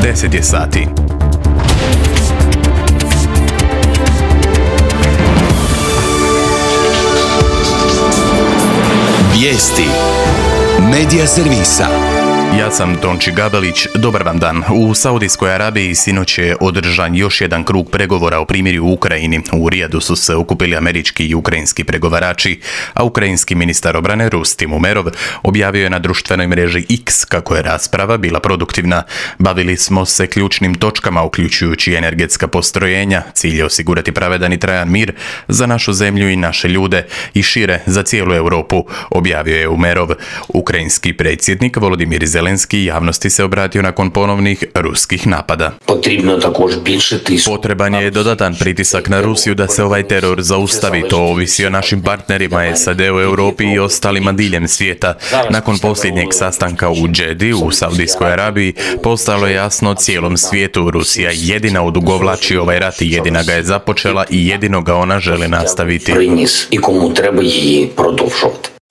10 je sati. Vijesti Medija servisa. Ja sam Tonči Gabelić, dobar vam dan. U Saudijskoj Arabiji sinoć je održan još jedan krug pregovora o primirju u Ukrajini. U Rijadu su se okupili američki i ukrajinski pregovarači, a ukrajinski ministar obrane Rustim Umerov objavio je na društvenoj mreži X kako je rasprava bila produktivna. Bavili smo se ključnim točkama, uključujući energetska postrojenja. Cilj je osigurati pravedan i trajan mir za našu zemlju i naše ljude i šire za cijelu Europu, objavio je Umerov. Ukrajinski predsjednik Volodimir Zelenski javnosti se obratio nakon ponovnih ruskih napada. Potreban je dodatan pritisak na Rusiju da se ovaj teror zaustavi. To ovisi o našim partnerima SAD-u, Europi i ostalima diljem svijeta. Nakon posljednjeg sastanka u Džedi u Saudijskoj Arabiji postalo je jasno cijelom svijetu. Rusija jedina odugovlači ovaj rat i jedina ga je započela i jedino ga ona želi nastaviti.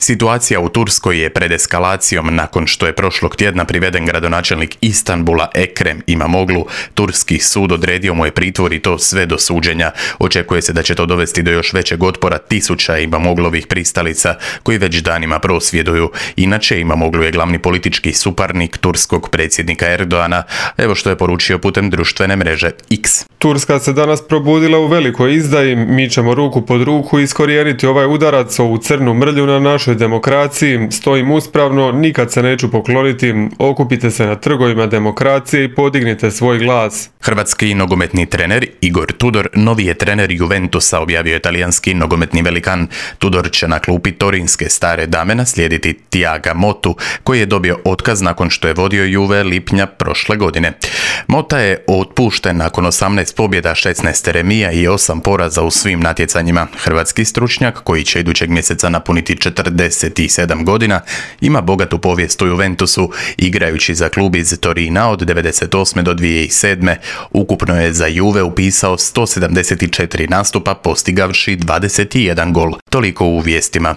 Situacija u Turskoj je pred eskalacijom nakon što je prošlog tjedna priveden gradonačelnik Istanbula Ekrem Imamoglu. Turski sud odredio mu je pritvor i to sve do suđenja. Očekuje se da će to dovesti do još većeg otpora tisuća Imamoglovih pristalica koji već danima prosvjeduju. Inače, Imamoglu je glavni politički suparnik turskog predsjednika Erdoana. Evo što je poručio putem društvene mreže X. Turska se danas probudila u velikoj izdaji. Mi ćemo ruku pod ruku iskorijeniti ovaj udarac, ovu crnu mrlju na našoj demokraciji. Stojim uspravno, nikad se neću pokloniti. Okupite se na trgovima demokracije i podignite svoj glas. Hrvatski nogometni trener Igor Tudor novi je trener Juventusa, objavio je talijanski nogometni velikan. Tudor će na klupi torinske stare dame naslijediti Thiaga Mottu, koji je dobio otkaz nakon što je vodio Juve lipnja prošle godine. Motta je otpušten nakon 18 pobjeda, 16 remija i 8 poraza u svim natjecanjima. Hrvatski stručnjak, koji će idućeg mjeseca napuniti 47 godina, ima bogatu povijest u Juventusu, igrajući za klub iz Torina od 1998. do 2007. Ukupno je za Juve upisao 174 nastupa, postigavši 21 gol. Toliko u vijestima.